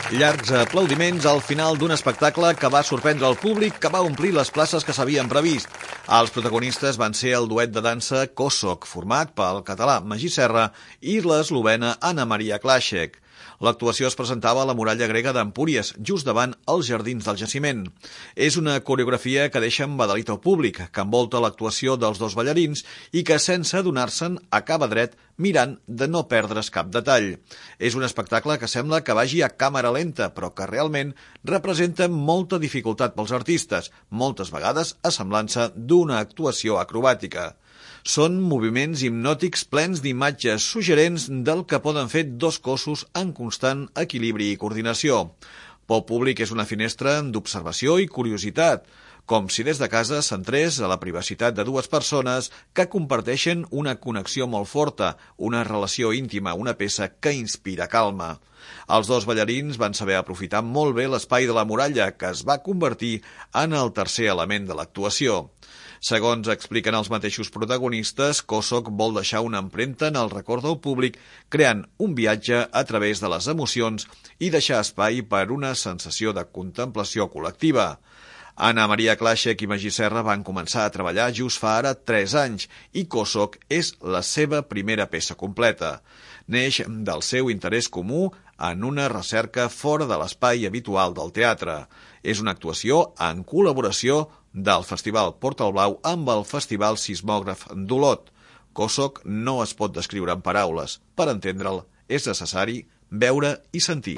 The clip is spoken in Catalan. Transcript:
Llargs aplaudiments al final d'un espectacle que va sorprendre el públic, que va omplir les places que s'havien previst. Els protagonistes van ser el duet de dansa Kosok, format pel català Magí Serra i l'eslovena Anna Maria Klašek. L'actuació es presentava a la muralla grega d'Empúries, just davant els jardins del jaciment. És una coreografia que deixa embadalit el públic, que envolta l'actuació dels dos ballarins i que, sense adonar-se'n, acaba dret mirant de no perdre's cap detall. És un espectacle que sembla que vagi a càmera lenta, però que realment representa molta dificultat pels artistes, moltes vegades a semblança d'una actuació acrobàtica. Són moviments hipnòtics plens d'imatges suggerents del que poden fer dos cossos en constant equilibri i coordinació. Pel públic és una finestra d'observació i curiositat, com si des de casa s'entrés a la privacitat de dues persones que comparteixen una connexió molt forta, una relació íntima, una peça que inspira calma. Els dos ballarins van saber aprofitar molt bé l'espai de la muralla, que es va convertir en el tercer element de l'actuació. Segons expliquen els mateixos protagonistes, Kosok vol deixar una empremta en el record del públic, creant un viatge a través de les emocions i deixar espai per una sensació de contemplació col·lectiva. Anna Maria Klašek i Magí Serra van començar a treballar just fa ara 3 anys i Kosok és la seva primera peça completa. Neix del seu interès comú en una recerca fora de l'espai habitual del teatre. És una actuació en col·laboració del Festival Portal Blau amb el Festival Sismògraf d'Olot. Kosok no es pot descriure en paraules. Per entendre'l, és necessari veure i sentir.